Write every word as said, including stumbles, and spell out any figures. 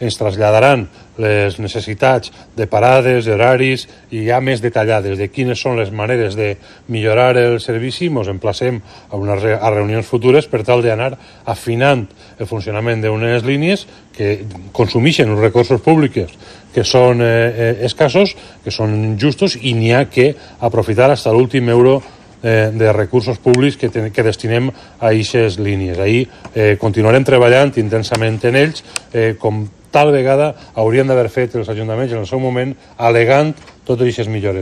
ens traslladaran les necessitats de parades, horaris i ja més detallades de quines són les maneres de millorar el servici. Ens emplacem a unes re a reunions futures per tal d'anar afinant el funcionament d'unes línies que consumeixen uns recursos públics que són eh, escassos, que són justos, i n'hi ha que aprofitar fins a l'últim euro eh, de recursos públics que, que destinem a aquestes línies. Ahir eh, continuarem treballant intensament en ells, eh, com tal vegada haurien d'haver fet els ajuntaments en el seu moment, alegant totes aquestes millores.